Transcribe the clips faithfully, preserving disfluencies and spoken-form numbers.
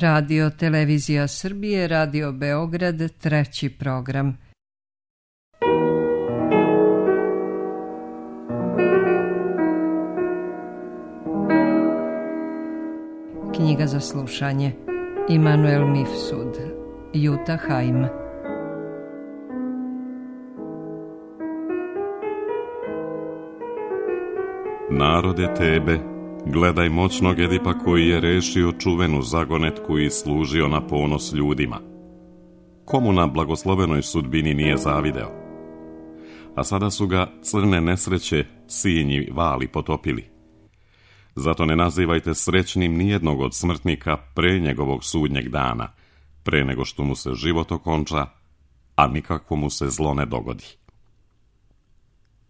Radio Televizija Srbije, Radio Beograd, treći program. Knjiga za slušanje. Immanuel Mifsud, Jutta Heim. Narode Tebe, gledaj moćnog Edipa koji je rešio čuvenu zagonetku i služio na ponos ljudima. Komu na blagoslovenoj sudbini nije zavideo? A sada su ga crne nesreće, sinji vali potopili. Zato ne nazivajte srećnim nijednog od smrtnika pre njegovog sudnjeg dana, pre nego što mu se život okonča, a nikakvo mu se zlo ne dogodi.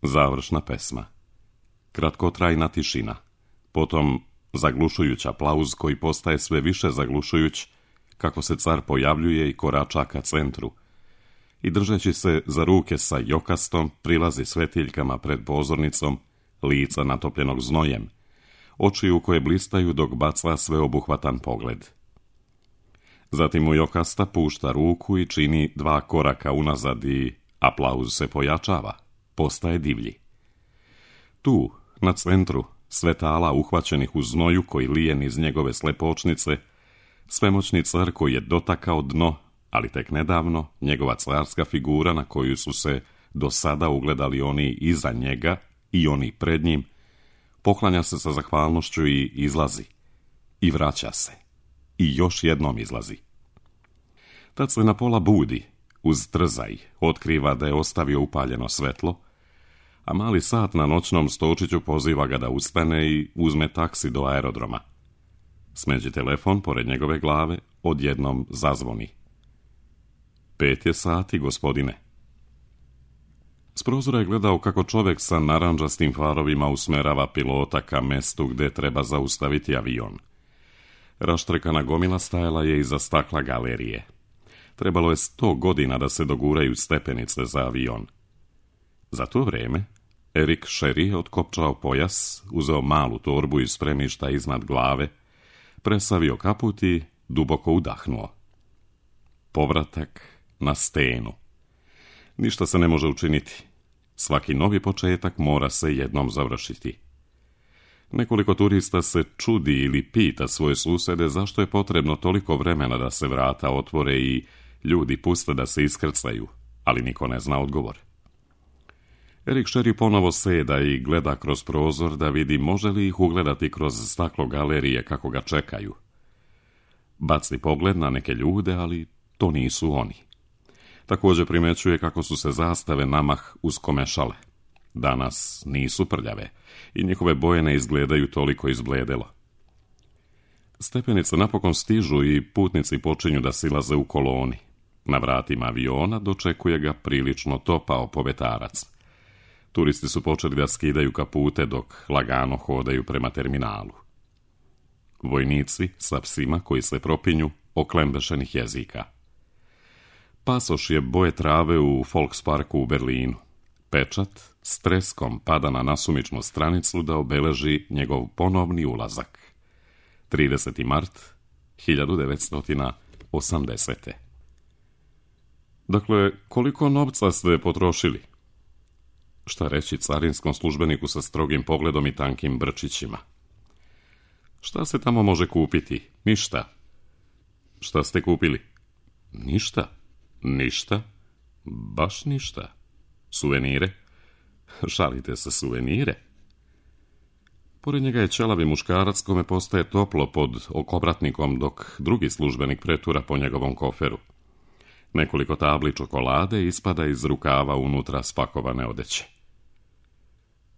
Završna pesma. Kratkotrajna tišina, potom zaglušujuć aplauz koji postaje sve više zaglušujuć kako se car pojavljuje i korača ka centru i držeći se za ruke sa jokastom prilazi svetiljkama pred pozornicom, lica natopljenog znojem, oči u koje blistaju dok baca sveobuhvatan pogled. Zatim mu jokasta pušta ruku i čini dva koraka unazad i aplauz se pojačava, postaje divlji. Tu, na centru, svetala uhvaćenih u znoju koji lije niz njegove slepočnice, svemoćni car koji je dotakao dno, ali tek nedavno, njegova carska figura na koju su se do sada ugledali oni iza njega i oni pred njim, poklanja se sa zahvalnošću i izlazi. I vraća se. I još jednom izlazi. Tad se na pola budi, uz trzaj, otkriva da je ostavio upaljeno svetlo, a mali sat na noćnom stočiću poziva ga da ustane i uzme taksi do aerodroma. Smeđi telefon pored njegove glave, odjednom zazvoni. Pet je sati, gospodine. S prozora je gledao kako čovek sa narandžastim farovima usmerava pilota ka mestu gde treba zaustaviti avion. Raštrekana gomila stajala je iza stakla galerije. Trebalo je sto godina da se doguraju stepenice za avion. Za to vreme, Erik Sherry je otkopčao pojas, uzeo malu torbu iz spremišta iznad glave, presavio kaput i duboko udahnuo. Povratak na stenu. Ništa se ne može učiniti. Svaki novi početak mora se jednom završiti. Nekoliko turista se čudi ili pita svoje susede zašto je potrebno toliko vremena da se vrata otvore i ljudi puste da se iskrcaju, ali niko ne zna odgovor. Erik Sherry ponovo seda i gleda kroz prozor da vidi može li ih ugledati kroz staklo galerije kako ga čekaju. Baci pogled na neke ljude, ali to nisu oni. Također primećuje kako su se zastave namah uskomešale. Danas nisu prljave i njihove boje ne izgledaju toliko izbledelo. Stepenice napokon stižu i putnici počinju da silaze u koloni. Na vratima aviona dočekuje ga prilično topao povetarac. Turisti su počeli da skidaju kapute dok lagano hodaju prema terminalu. Vojnici sa psima koji se propinju oklembešenih jezika. Pasoš je boje trave u Volksparku u Berlinu. Pečat s treskom pada na nasumičnu stranicu da obeleži njegov ponovni ulazak. trideseti mart hiljadu devetsto osamdesete. Dakle, koliko novca ste potrošili? Šta reći carinskom službeniku sa strogim pogledom i tankim brčićima? Šta se tamo može kupiti? Ništa. Šta ste kupili? Ništa. Ništa? Baš ništa. Suvenire? Šalite se, suvenire? Pored njega je ćelavi muškarac kome postaje toplo pod okobratnikom dok drugi službenik pretura po njegovom koferu. Nekoliko tabli čokolade ispada iz rukava unutra spakovane odeće.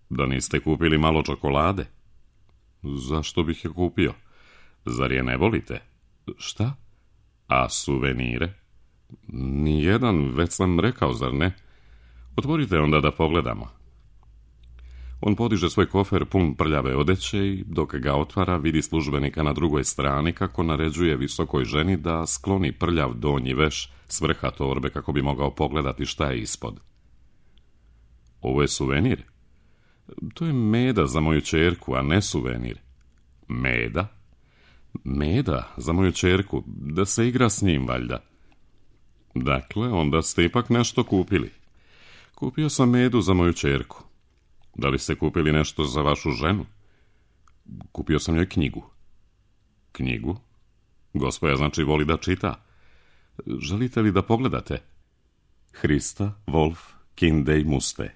Da niste kupili malo čokolade? Zašto bih je kupio? Zar je ne volite? Šta? A suvenire? Nijedan, već sam rekao, zar ne? Otvorite onda da pogledamo. On podiže svoj kofer pun prljave odeće i dok ga otvara vidi službenika na drugoj strani kako naređuje visokoj ženi da skloni prljav donji veš s vrha torbe kako bi mogao pogledati šta je ispod. Ovo je suvenir? To je meda za moju ćerku, a ne suvenir. Meda? Meda, za moju ćerku, da se igra s njim, valjda. Dakle, onda ste ipak nešto kupili. Kupio sam medu za moju ćerku. Da li ste kupili nešto za vašu ženu? Kupio sam joj knjigu. Knjigu? Gospoja znači voli da čita. Želite li da pogledate? Hrista, Wolf, Kinde i Muste.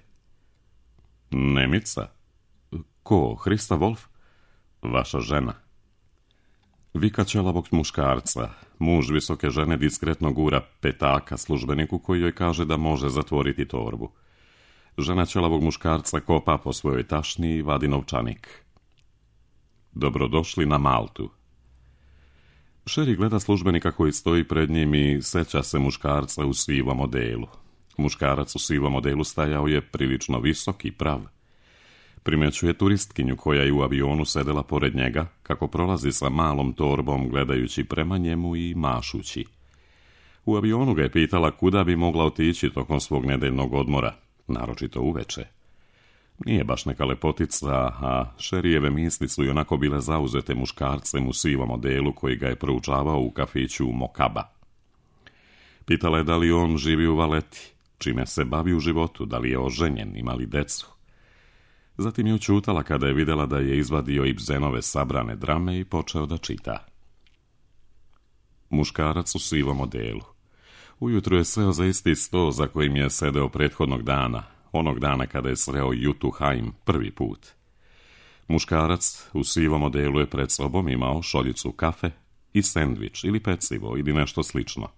Nemica? Ko, Hrista Wolf? Vaša žena. Vika ćelavog muškarca. Muž visoke žene diskretno gura petaka službeniku koji joj kaže da može zatvoriti torbu. Žena ćelavog muškarca kopa po svojoj tašni i vadi novčanik. Dobrodošli na Maltu. Sherry gleda službenika koji stoji pred njim i seća se muškarca u sivom odelu. Muškarac u sivom odelu stajao je prilično visok i prav. Primećuje turistkinju koja je u avionu sedela pored njega, kako prolazi sa malom torbom gledajući prema njemu i mašući. U avionu ga je pitala kuda bi mogla otići tokom svog nedeljnog odmora, naročito uveče. Nije baš neka lepotica, a Sherryjeve misli su i onako bile zauzete muškarcem u sivom odelu koji ga je proučavao u kafiću Mokaba. Pitala je da li on živi u Valeti, čime se bavi u životu, da li je oženjen, ima li decu. Zatim je učutala kada je vidjela da je izvadio Ibsenove sabrane drame i počeo da čita. Muškarac u sivom odelu. Ujutro je seo za isti sto za kojim je sedeo prethodnog dana, onog dana kada je sreo Jutu Haim prvi put. Muškarac u sivom odelu je pred sobom imao šoljicu kafe i sendvič ili pecivo ili nešto slično.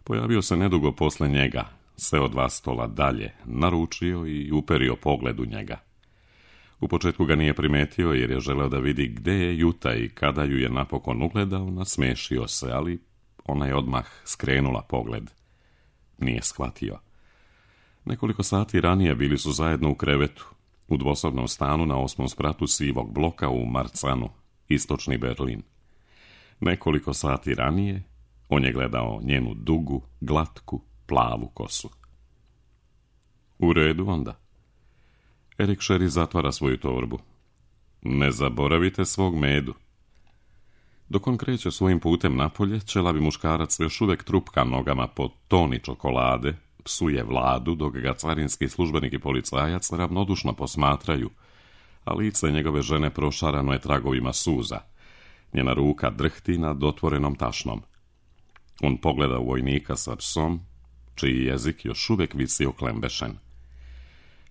Pojavio se nedugo posle njega, seo dva stola dalje, naručio i uperio pogled u njega. U početku ga nije primetio jer je želeo da vidi gde je Juta i kada ju je napokon ugledao, nasmešio se, ali ona je odmah skrenula pogled. Nije shvatio. Nekoliko sati ranije bili su zajedno u krevetu, u dvosobnom stanu na osmom spratu sivog bloka u Marzahnu, istočni Berlin. Nekoliko sati ranije on je gledao njenu dugu, glatku, plavu kosu. U redu onda. Erik Sherry zatvara svoju torbu. Ne zaboravite svog medu. Dok on kreće svojim putem napolje, ćelavi muškarac još uvek trupka nogama po toni čokolade, psuje Vladu, dok ga carinski službenik i policajac ravnodušno posmatraju, a lice njegove žene prošarano je tragovima suza. Njena ruka drhti nad otvorenom tašnom. On pogleda u vojnika sa psom, čiji jezik još uvek visi oklembešen.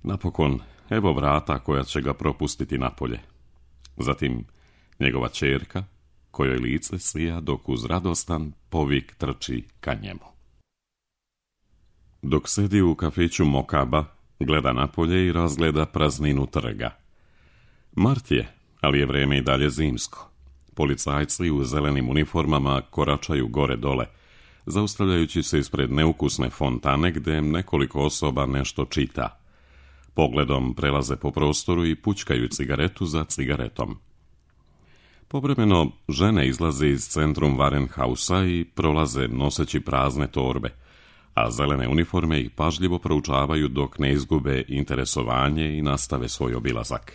Napokon, evo vrata koja će ga propustiti napolje. Zatim, njegova ćerka, kojoj lice sija dok uz radostan povik trči ka njemu. Dok sedi u kafiću Mokaba, gleda napolje i razgleda prazninu trga. Mart je, ali je vreme i dalje zimsko. Policajci u zelenim uniformama koračaju gore dole, zaustavljajući se ispred neukusne fontane gde nekoliko osoba nešto čita. Pogledom prelaze po prostoru i pućkaju cigaretu za cigaretom. Povremeno žene izlaze iz centrum Warenhausa i prolaze noseći prazne torbe, a zelene uniforme ih pažljivo proučavaju dok ne izgube interesovanje i nastave svoj obilazak.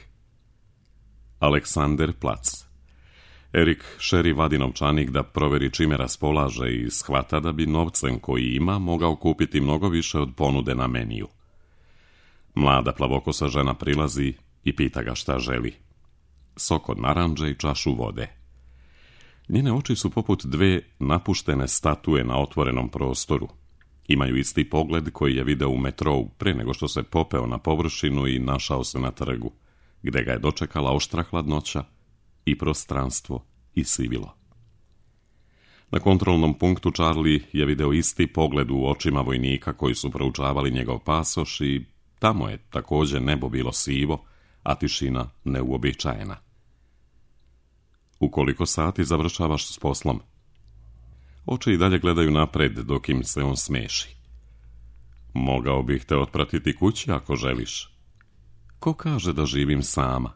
Alexanderplatz. Erik Sherry vadi novčanik da proveri čime raspolaže i shvata da bi novcem koji ima mogao kupiti mnogo više od ponude na meniju. Mlada plavokosa žena prilazi i pita ga šta želi. Sok od narandže i čašu vode. Njene oči su poput dve napuštene statue na otvorenom prostoru. Imaju isti pogled koji je video u metrou pre nego što se popeo na površinu i našao se na trgu, gde ga je dočekala oštra hladnoća i prostranstvo i sivilo. Na kontrolnom punktu Charlie je video isti pogled u očima vojnika koji su proučavali njegov pasoš i tamo je također nebo bilo sivo, a tišina neuobičajena. U koliko sati završavaš s poslom? Oči i dalje gledaju napred dok im se on smeši. Mogao bih te otpratiti kući ako želiš. Ko kaže da živim sama?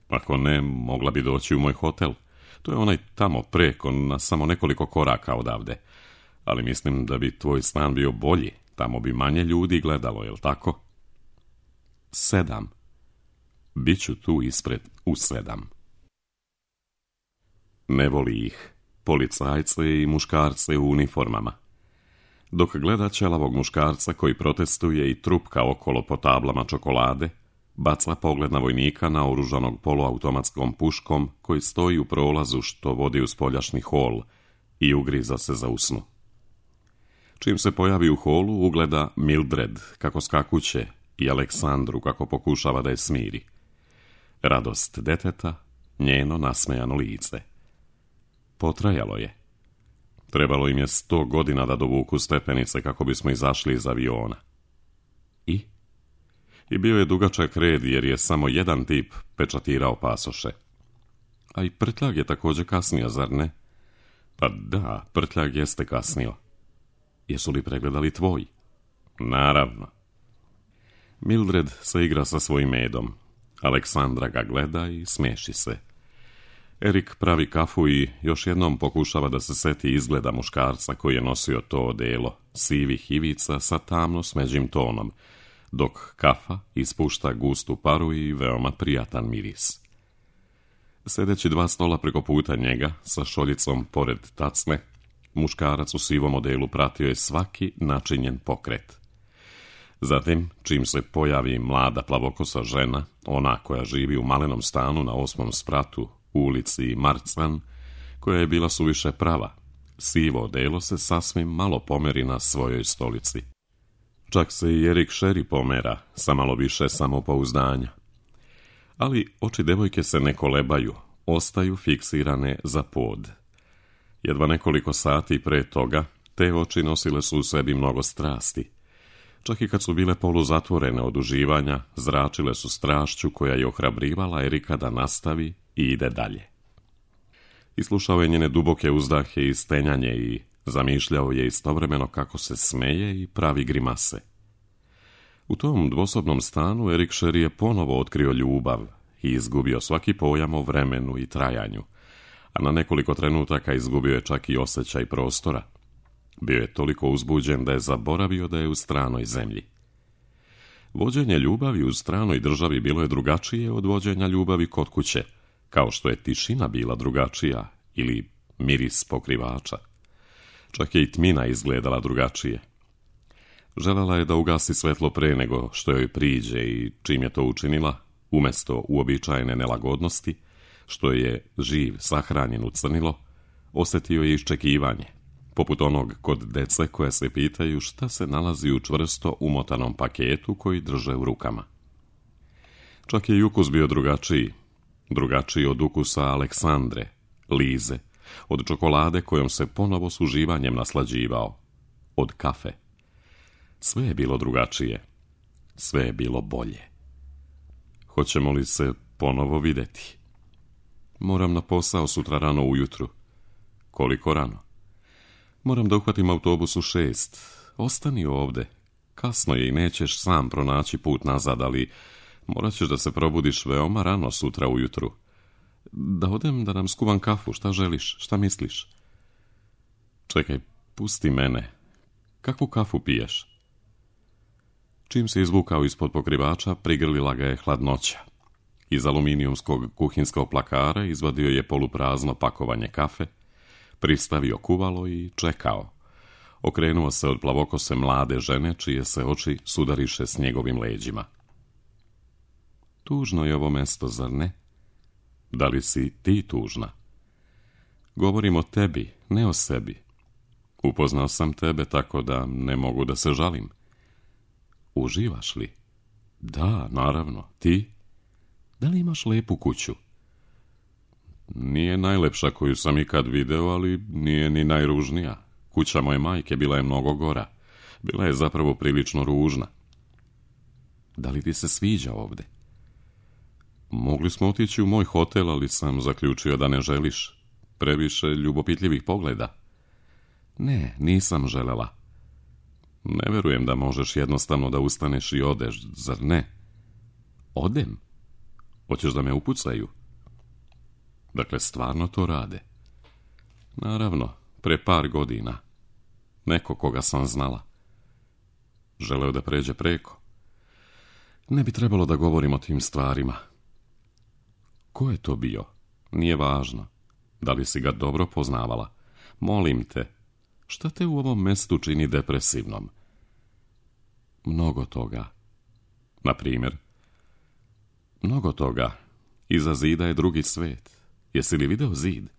Ako ne, mogla bi doći u moj hotel. To je onaj tamo preko, na samo nekoliko koraka odavde. Ali mislim da bi tvoj stan bio bolji. Tamo bi manje ljudi gledalo, jel tako? Sedam. Biću tu ispred u sedam. Ne voli ih, policajce i muškarce u uniformama. Dok gleda ćelavog muškarca koji protestuje i trupka okolo po tablama čokolade, baca pogled na vojnika naoružanog poluautomatskom puškom koji stoji u prolazu što vodi u spoljašnji hol i ugriza se za usnu. Čim se pojavi u holu, ugleda Mildred kako skakuće i Aleksandru kako pokušava da je smiri. Radost deteta, njeno nasmejano lice. Potrajalo je. Trebalo im je sto godina da dovuku stepenice kako bismo izašli iz aviona. I? I bio je dugačak red jer je samo jedan tip pečatirao pasoše. A i Prtljag je također kasnio, zar ne? Pa da, Prtljag jeste kasnio. Jesu li pregledali tvoj? Naravno. Mildred se igra sa svojim medom. Aleksandra ga gleda i smeši se. Erik pravi kafu i još jednom pokušava da se seti izgleda muškarca koji je nosio to odelo, sivih ivica sa tamno smeđim tonom, dok kafa ispušta gustu paru i veoma prijatan miris. Sedeći dva stola preko puta njega, sa šoljicom pored tacne, muškarac u sivom odelu pratio je svaki načinjen pokret. Zatim, čim se pojavi mlada plavokosa žena, ona koja živi u malenom stanu na osmom spratu, u ulici Marcan, koja je bila suviše prava, sivo odelo se sasvim malo pomeri na svojoj stolici. Čak se i Erik Sherry pomera, sa malo više samopouzdanja. Ali oči devojke se ne kolebaju, ostaju fiksirane za pod. Jedva nekoliko sati pre toga, te oči nosile su u sebi mnogo strasti. Čak i kad su bile poluzatvorene od uživanja, zračile su strašću koja je ohrabrivala Erika da nastavi i ide dalje. Islušao je njene duboke uzdahe i stenjanje i zamišljao je istovremeno kako se smeje i pravi grimase. U tom dvosobnom stanu Erik Sherry je ponovo otkrio ljubav i izgubio svaki pojam o vremenu i trajanju, a na nekoliko trenutaka izgubio je čak i osjećaj prostora. Bio je toliko uzbuđen da je zaboravio da je u stranoj zemlji. Vođenje ljubavi u stranoj državi bilo je drugačije od vođenja ljubavi kod kuće, kao što je tišina bila drugačija ili miris pokrivača. Čak je i tmina izgledala drugačije. Želela je da ugasi svetlo pre nego što joj priđe i čim je to učinila, umjesto uobičajene nelagodnosti, što je živ sahranjen u crnilo, osjetio je iščekivanje, poput onog kod dece koje se pitaju šta se nalazi u čvrsto umotanom paketu koji drže u rukama. Čak je i ukus bio drugačiji, drugačiji od ukusa Aleksandre, Lize, od čokolade kojom se ponovo s uživanjem naslađivao, od kafe. Sve je bilo drugačije, sve je bilo bolje. Hoćemo li se ponovo vidjeti? Moram na posao sutra rano ujutru. Koliko rano? Moram da uhvatim autobus u šest. Ostani ovde. Kasno je i nećeš sam pronaći put nazad, ali morat ćeš da se probudiš veoma rano sutra ujutru. Da odem da nam skuvam kafu, šta želiš, šta misliš? Čekaj, pusti mene. Kakvu kafu piješ? Čim se izvukao ispod pokrivača, prigrlila ga je hladnoća. Iz aluminijumskog kuhinskog plakara izvadio je poluprazno pakovanje kafe, pristavio kuvalo i čekao. Okrenuo se od plavokose mlade žene, čije se oči sudariše s njegovim leđima. Tužno je ovo mesto, zar ne? Da li si ti tužna? Govorim o tebi, ne o sebi. Upoznao sam tebe tako da ne mogu da se žalim. Uživaš li? Da, naravno. Ti? Da li imaš lepu kuću? Nije najlepša koju sam ikad video, ali nije ni najružnija. Kuća moje majke bila je mnogo gora. Bila je zapravo prilično ružna. Da li ti se sviđa ovde? Mogli smo otići u moj hotel, ali sam zaključio da ne želiš. Previše ljubopitljivih pogleda. Ne, nisam želela. Ne verujem da možeš jednostavno da ustaneš i odeš, zar ne? Odem? Hoćeš da me upucaju? Dakle, stvarno to rade. Naravno, pre par godina. Neko koga sam znala. Želeo da pređe preko. Ne bi trebalo da govorim o tim stvarima. Ko je to bio? Nije važno. Da li si ga dobro poznavala? Molim te, šta te u ovom mestu čini depresivnom? Mnogo toga. Na primjer? Mnogo toga. Iza zida je drugi svet. Jesi li video zid?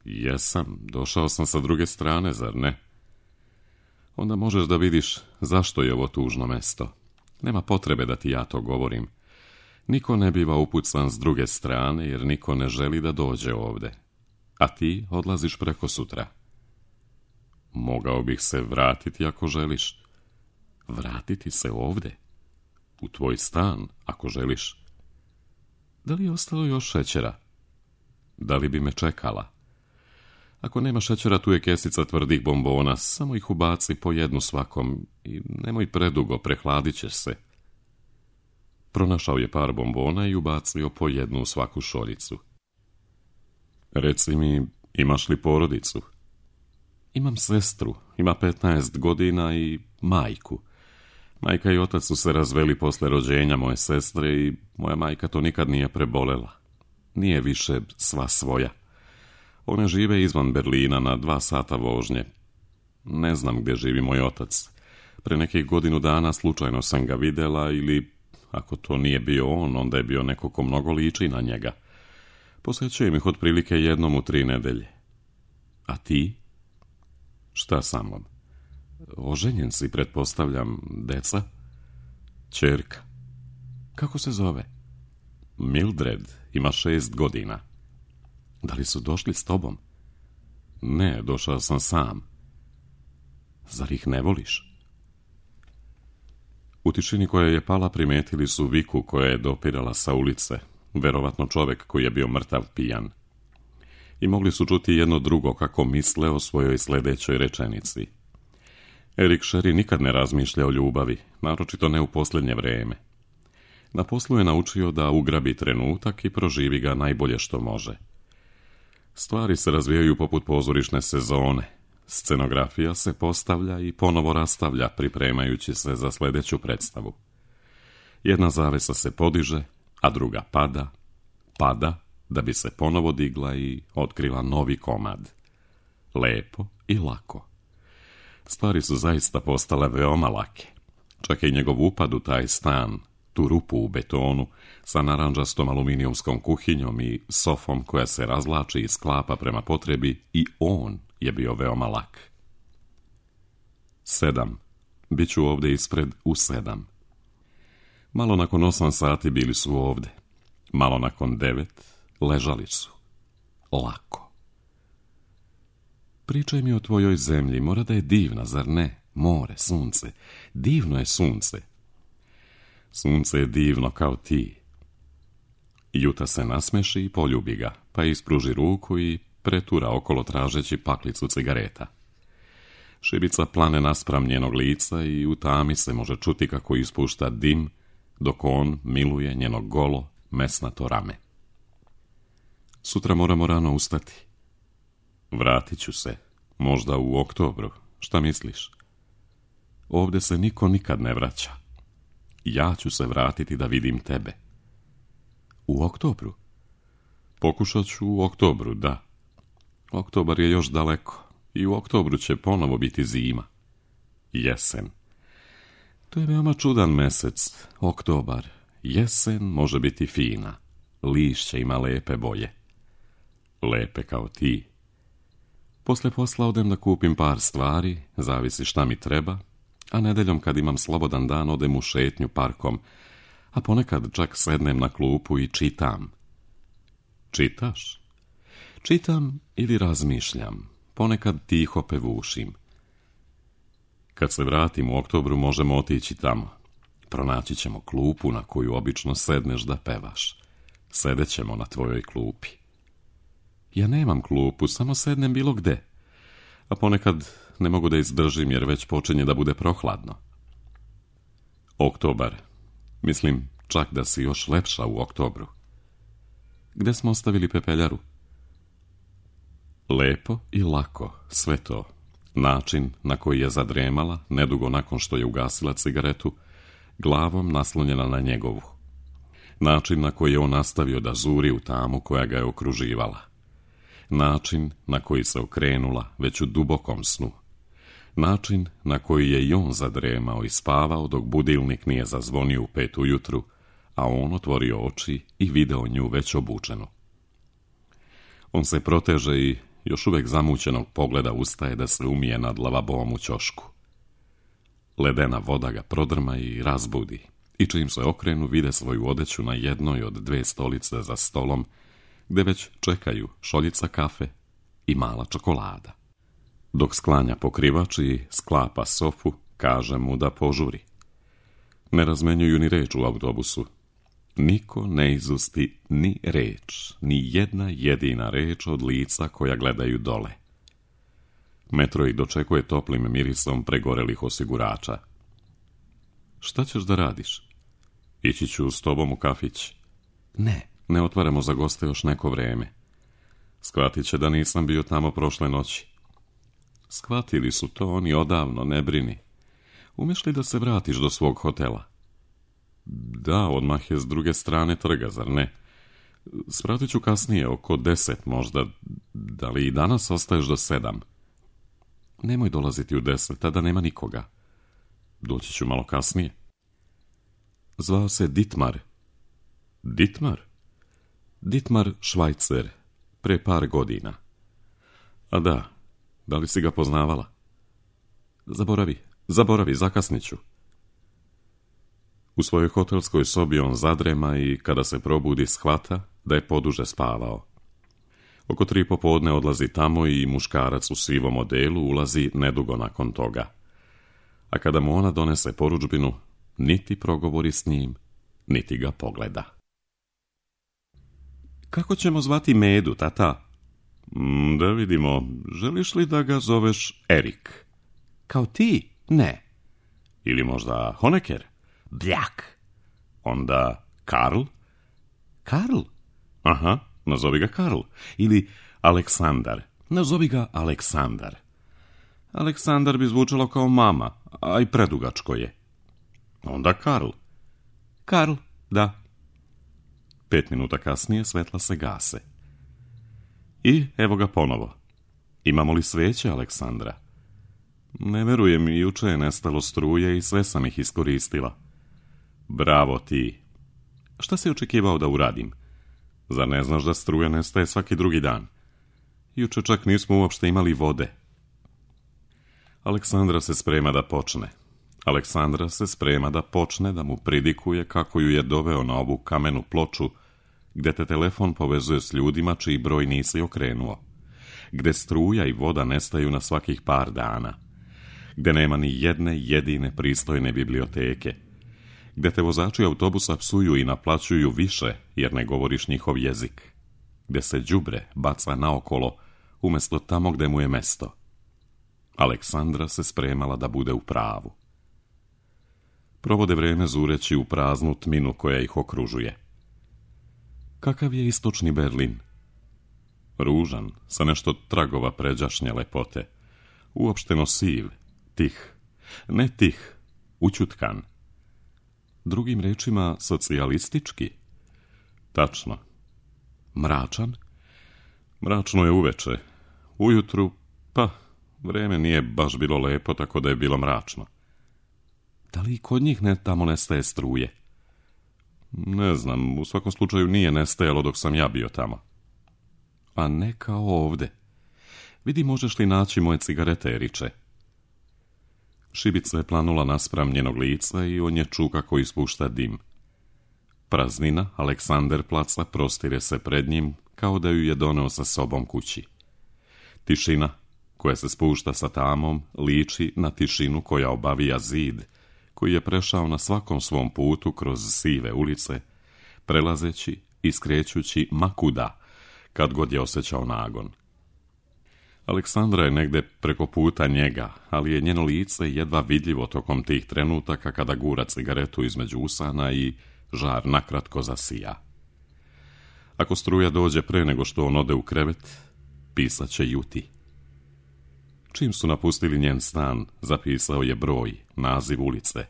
Jesam, došao sam sa druge strane, zar ne? Onda možeš da vidiš zašto je ovo tužno mesto. Nema potrebe da ti ja to govorim. Niko ne biva upucan s druge strane, jer niko ne želi da dođe ovde. A ti odlaziš preko sutra. Mogao bih se vratiti ako želiš. Vratiti se ovde? U tvoj stan, ako želiš. Da li je ostalo još šećera? Da li bi me čekala? Ako nema šećera, tu je kesica tvrdih bombona, samo ih ubaci po jednu svakom i nemoj predugo, prehladit ćeš se. Pronašao je par bombona i ubacio po jednu u svaku šoljicu. Reci mi, imaš li porodicu? Imam sestru, ima petnaest godina i majku. Majka i otac su se razveli posle rođenja moje sestre i moja majka to nikad nije prebolela. Nije više sva svoja. One žive izvan Berlina na dva sata vožnje. Ne znam gdje živi moj otac. Pre nekih godinu dana slučajno sam ga videla ili, ako to nije bio on, onda je bio neko ko mnogo liči na njega. Posjećujem ih otprilike jednom u tri nedelje. A ti? Šta sa mnom? Oženjen si, pretpostavljam, deca? Ćerka. Kako se zove? Mildred, ima šest godina. Da li su došli s tobom? Ne, došao sam sam. Zar ih ne voliš? U tišini koja je pala primetili su viku koja je dopirala sa ulice, verovatno čovek koji je bio mrtav pijan. I mogli su čuti jedno drugo kako misle o svojoj sledećoj rečenici. Erik Sherry nikad ne razmišlja o ljubavi, naročito ne u posljednje vreme. Na poslu je naučio da ugrabi trenutak i proživi ga najbolje što može. Stvari se razvijaju poput pozorišne sezone. Scenografija se postavlja i ponovo rastavlja, pripremajući se za sledeću predstavu. Jedna zavesa se podiže, a druga pada, pada, da bi se ponovo digla i otkrila novi komad. Lepo i lako. Stvari su zaista postale veoma lake. Čak i njegov upad u taj stan, tu rupu u betonu, sa naranđastom aluminijumskom kuhinjom i sofom koja se razlači i sklapa prema potrebi, i on je bio veoma lak. Sedam. Biću ovde ispred u sedam. Malo nakon osam sati bili su ovde. Malo nakon devet ležali su. Lako. Pričaj mi o tvojoj zemlji, mora da je divna, zar ne? More, sunce. Divno je sunce. Sunce je divno kao ti. Juta se nasmeši i poljubi ga, pa ispruži ruku i pretura okolo tražeći paklicu cigareta. Šibica plane naspram njenog lica i u tami se može čuti kako ispušta dim, dok on miluje njeno golo, mesnato rame. Sutra moramo rano ustati. Vratit ću se, možda u oktobru. Šta misliš? Ovde se niko nikad ne vraća. Ja ću se vratiti da vidim tebe. U oktobru? Pokušat ću u oktobru, da. Oktobar je još daleko i u oktobru će ponovo biti zima. Jesen. To je veoma čudan mesec, oktobar. Jesen može biti fina. Lišće ima lepe boje. Lepe kao ti. Posle posla odem da kupim par stvari, zavisi šta mi treba, a nedeljom kad imam slobodan dan odem u šetnju parkom, a ponekad čak sednem na klupu i čitam. Čitaš? Čitam ili razmišljam, ponekad tiho pevušim. Kad se vratim u oktobru možemo otići tamo. Pronaći ćemo klupu na koju obično sedneš da pevaš. Sedećemo na tvojoj klupi. Ja nemam klupu, samo sednem bilo gde. A ponekad ne mogu da izdržim jer već počinje da bude prohladno. Oktobar. Mislim čak da si još lepša u oktobru. Gde smo ostavili pepeljaru? Lepo i lako, sve to. Način na koji je zadremala, nedugo nakon što je ugasila cigaretu, glavom naslonjena na njegovu. Način na koji je on nastavio da zuri u tamu koja ga je okruživala. način na koji se okrenula već u dubokom snu, način na koji je i on zadremao i spavao dok budilnik nije zazvonio u pet ujutru, a on otvorio oči i video nju već obučenu. On se proteže i još uvijek zamućenog pogleda ustaje da se umije nad lavabom u ćošku. Ledena voda ga prodrma i razbudi, i čim se okrenu vide svoju odeću na jednoj od dve stolice za stolom, gde već čekaju šoljica kafe i mala čokolada. Dok sklanja pokrivač i sklapa sofu, kaže mu da požuri. Ne razmenjuju ni reč u autobusu. Niko ne izusti ni reč, ni jedna jedina reč od lica koja gledaju dole. Metro ih dočekuje toplim mirisom pregorelih osigurača. Šta ćeš da radiš? Ići ću s tobom u kafić. Ne, ne otvaramo za goste još neko vreme. Shvatit će da nisam bio tamo prošle noći. Shvatili su to oni odavno, ne brini. Umeš li da se vratiš do svog hotela? Da, odmah je s druge strane trga, zar ne? Svratit ću kasnije, oko deset možda. Da li i danas ostaješ do sedam? Nemoj dolaziti u deset, tada nema nikoga. Doći ću malo kasnije. Zvao se Ditmar. Ditmar? Ditmar Švajcer, pre par godina. A da, da li si ga poznavala? Zaboravi, zaboravi, zakasnit ću. U svojoj hotelskoj sobi on zadrema i kada se probudi shvata da je poduže spavao. Oko tri popodne odlazi tamo i muškarac u sivom odelu ulazi nedugo nakon toga. A kada mu ona donese porudžbinu, niti progovori s njim, niti ga pogleda. Kako ćemo zvati Medu, tata? Mm, da vidimo, želiš li da ga zoveš Erik? Kao ti? Ne. Ili možda Honecker? Bljak. Onda Karl? Karl? Aha, nazovi ga Karl. Ili Aleksandar. Nazovi ga Aleksandar. Aleksandar bi zvučalo kao mama, a i predugačko je. Onda Karl. Karl, da. Pet minuta kasnije svetla se gase. I evo ga ponovo. Imamo li sveće, Aleksandra? Ne verujem, juče je nestalo struje i sve sam ih iskoristila. Bravo ti. Šta si očekivao da uradim? Zar ne znaš da struja nestaje svaki drugi dan? Juče čak nismo uopšte imali vode. Aleksandra se sprema da počne. Aleksandra se sprema da počne da mu pridikuje kako ju je doveo na ovu kamenu ploču, gde te telefon povezuje s ljudima čiji broj nisi okrenuo, gde struja i voda nestaju na svakih par dana, gde nema ni jedne jedine pristojne biblioteke, gde te vozači autobusa psuju i naplaćuju više jer ne govoriš njihov jezik, gde se đubre baca naokolo umjesto tamo gde mu je mesto. Aleksandra se spremala da bude u pravu. Provode vreme zureći u praznu tminu koja ih okružuje. Kakav je istočni Berlin? Ružan, sa nešto tragova pređašnje lepote. Uopšteno siv, tih. Ne tih, učutkan. Drugim rečima, socijalistički. Tačno. Mračan? Mračno je uveče. Ujutru, pa, vreme nije baš bilo lepo, tako da je bilo mračno. Da li i kod njih ne tamo nestaje struje? Ne znam, u svakom slučaju nije nestajalo dok sam ja bio tamo. A ne kao ovde. Vidi, možeš li naći moje cigarete, Eriče? Šibica je planula naspram njenog lica i on je čuo kako ispušta dim. Praznina Aleksander placa prostire se pred njim kao da ju je doneo sa sobom kući. Tišina koja se spušta sa tamom liči na tišinu koja obavija zid, koji je prešao na svakom svom putu kroz sive ulice, prelazeći i skrećući makuda, kad god je osjećao nagon. Aleksandra je negde preko puta njega, ali je njeno lice jedva vidljivo tokom tih trenutaka kada gura cigaretu između usana i žar nakratko zasija. Ako struja dođe pre nego što on ode u krevet, pisat će Juti. Čim su napustili njen stan, zapisao je broj, naziv ulice.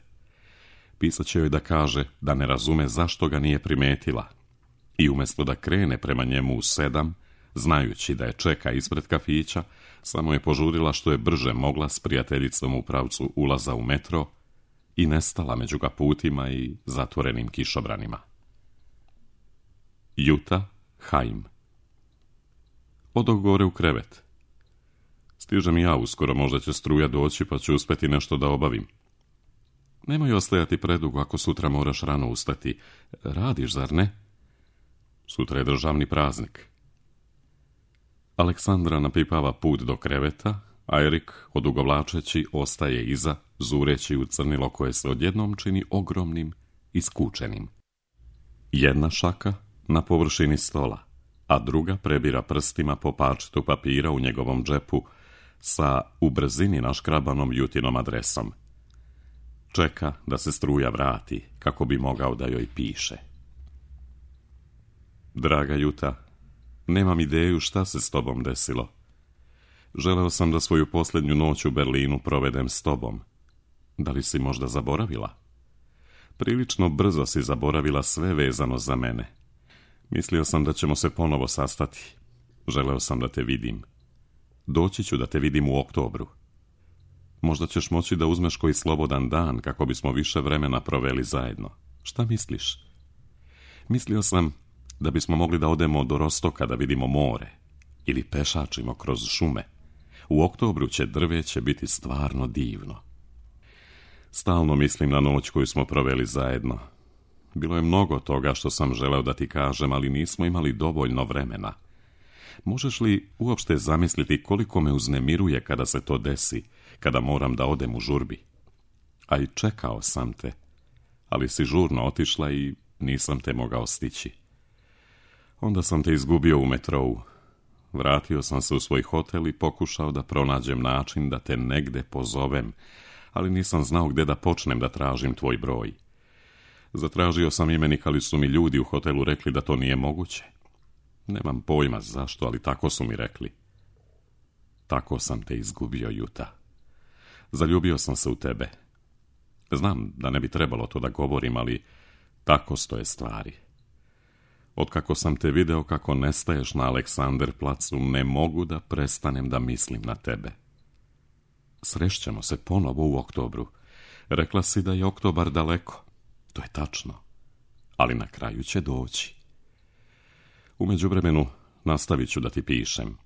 Pisat će joj da kaže da ne razume zašto ga nije primetila i umjesto da krene prema njemu u sedam, Znajući da je čeka ispred kafića, samo je požurila što je brže mogla s prijateljicom u pravcu ulaza u metro i nestala među kaputima i zatvorenim kišobranima. Juta Haim. Odoh gore u krevet. Stižem i ja uskoro, možda će struja doći pa ću uspjeti nešto da obavim. Nemoj ostajati predugo ako sutra moraš rano ustati. Radiš, zar ne? Sutra je državni praznik. Aleksandra napipava put do kreveta, a Erik, odugovlačeći, ostaje iza, zureći u crnilo koje se odjednom čini ogromnim i skučenim. Jedna šaka na površini stola, a druga prebira prstima po parčetu papira u njegovom džepu sa u brzini naškrabanom Jutinom adresom. Čeka da se struja vrati, kako bi mogao da joj piše. Draga Juta, nemam ideju šta se s tobom desilo. Želeo sam da svoju posljednju noć u Berlinu provedem s tobom. Da li si možda zaboravila? Prilično brzo si zaboravila sve vezano za mene. Mislio sam da ćemo se ponovo sastati. Želeo sam da te vidim. Doći ću da te vidim u oktobru. Možda ćeš moći da uzmeš koji slobodan dan kako bismo više vremena proveli zajedno. Šta misliš? Mislio sam da bismo mogli da odemo do Rostoka da vidimo more ili pešačimo kroz šume. U oktobru će drveće biti stvarno divno. Stalno mislim na noć koju smo proveli zajedno. Bilo je mnogo toga što sam želeo da ti kažem, ali nismo imali dovoljno vremena. Možeš li uopšte zamisliti koliko me uznemiruje kada se to desi, kada moram da odem u žurbi? A i čekao sam te, ali si žurno otišla i nisam te mogao stići. Onda sam te izgubio u metrou. Vratio sam se u svoj hotel i pokušao da pronađem način da te negde pozovem, ali nisam znao gde da počnem da tražim tvoj broj. Zatražio sam imenik, ali su mi ljudi u hotelu rekli da to nije moguće. Nemam pojma zašto, ali tako su mi rekli. Tako sam te izgubio, Juta. Zaljubio sam se u tebe. Znam da ne bi trebalo to da govorim, ali tako stoje stvari. Otkako sam te video kako nestaješ na Aleksander placu, ne mogu da prestanem da mislim na tebe. Srešćemo se ponovo u oktobru. Rekla si da je oktobar daleko. To je tačno. Ali na kraju će doći. U međuvremenu nastavit ću da ti pišem.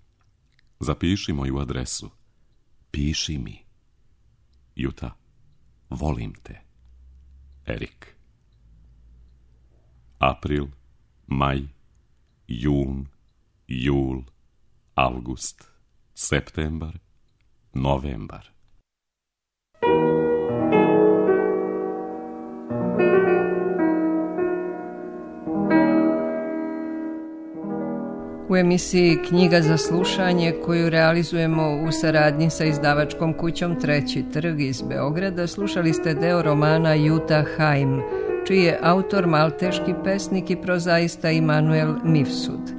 Zapiši moju adresu. Piši mi. Juta, volim te. Erik. April, maj, jun, jul, avgust, septembar, novembar. U emisiji Knjiga za slušanje, koju realizujemo u saradnji sa izdavačkom kućom Treći trg iz Beograda, slušali ste deo romana Juta Haim, čiji je autor malteški pesnik i prozaista Immanuel Mifsud.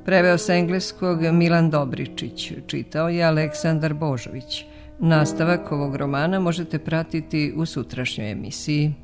Preveo sa engleskog Milan Dobričić, čitao je Aleksandar Božović. Nastavak ovog romana možete pratiti u sutrašnjoj emisiji.